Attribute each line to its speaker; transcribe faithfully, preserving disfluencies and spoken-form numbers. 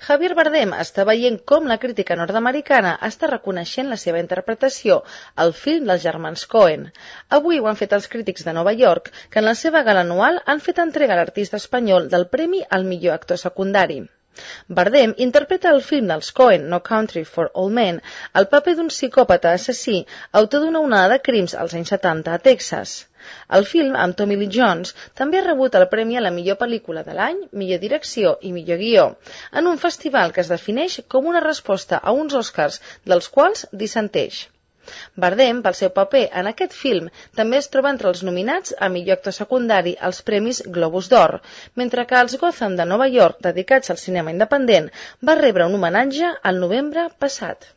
Speaker 1: Javier Bardem està veient com la crítica nord-americana està reconeixent la seva interpretació al film dels germans Coen. Avui ho han fet els crítics de Nova York, que en la seva gala anual han fet entrega a l'artista espanyol del premi al millor actor secundari. Bardem interpreta al film dels Coen, No Country for Old Men, el paper d'un psicòpata assassí, autor d'una onada de crims als anys setanta a Texas. El film, amb Tommy Lee Jones, també ha rebut el premi a la millor pel·lícula de l'any, millor direcció i millor guió, en un festival que es defineix com una resposta a uns Oscars dels quals dissenteix. Bardem, pel seu paper en aquest film, també es troba entre els nominats a millor actor secundari als premis Globus d'Or, mentre que els Gotham de Nova York, dedicats al cinema independent, va rebre un homenatge al novembre passat.